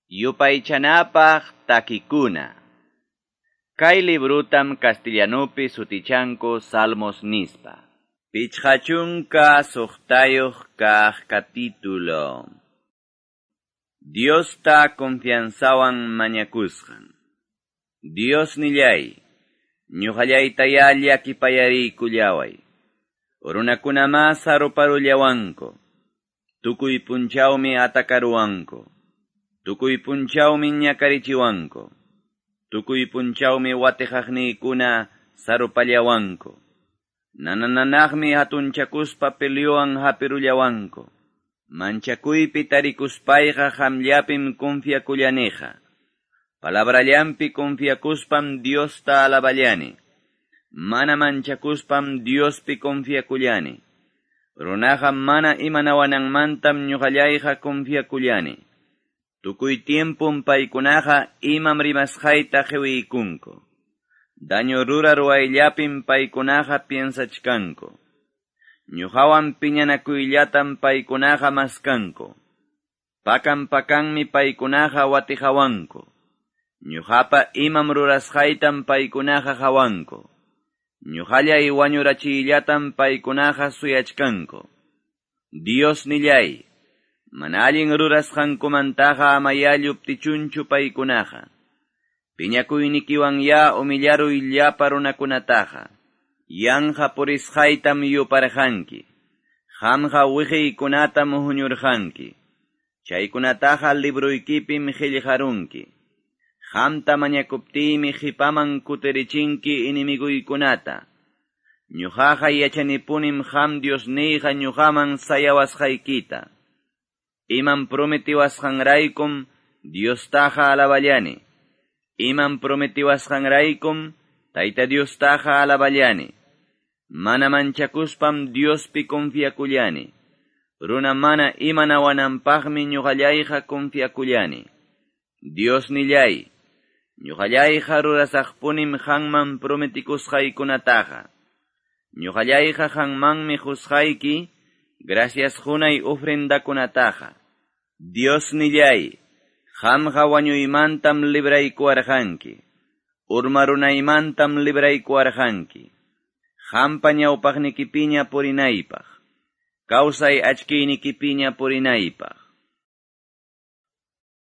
Yupaychanapaq takikuna. Kay librutam castellanupi sutichanku Salmos nispa. 56 kaq capítulo. Diosta confianzawan mañakusqan. Dios nillay, ñuqallaytaya llakipayariykullaway. Runakunamá saruparullawanku. Tukuy punchawmi atakaruwanku. Tukuy punchawmi ñakarichiwanku. Tukuy punchawmi watiqaqniykuna sarupallawanku. Nanananaqmi hatunchakuspa peleowan hapirullawanku. Manchakuypi tarikuspayqa qamllapim confiakullaniqa. Palabrallampi confiakuspam Diosta alaballani. Mana manchakuspam Diospi confiakullani. Runaqa mana imanawananmantam ñuqallayqa confiakullani. Tukuy tiempum paykunaqa imam rimasqayta qiwiykunku. Daño rura ruwayllapim paykunaqa piensachkanku. Ñuqawan piñanakuyllatam paykunaqa maskanku. Pakan pakanmi paykunaqa watiqawanku. Ñuqapa imam rurasqaytam paykunaqa qawanku. Ñuqallay wañurachiyllatam paykunaqa suyachkanku. Dios nillay, mana allin rurasqankumantaqa amaya lluptichunchu paykunaqa. Piñakuynikiwan ya humillaruy llapa runakunataqa. Yanqa purisqaytam yuparqanki. Qamqa wiqiykunatam huñurqanki. Chaykunataqa libruykipim qillqarunki. Qamta mañakuptiymi qipaman kutirichinki enemiguykunata. Ñuqaqa yachanipunim qam Diosniyqa ñuqaman sayawasqaykita. Imam prometiwasqanraykum Diostaqa alaballani. Imam prometiwasqanraykum Tayta Diostaqa alaballani. Mana manchakuspam Diospi confiakullani. Runa mana imanawananpaqmi ñuqallayqa confiakullani. Dios nillay, ñuqallayqa rurasaqpunim qanman prometikusqaykunataqa. Ñuqallayqa qanmanmi qusqayki, gracias qunay ofrendakunataqa. Dios nillay, qamqa wañuymantam libraykuwarqanki. Urmarunaymantam libraykuwarqanki. Qampa ñawpaqnikipiña purinaypaq. Kawsay achkiynikipiña purinaypaq.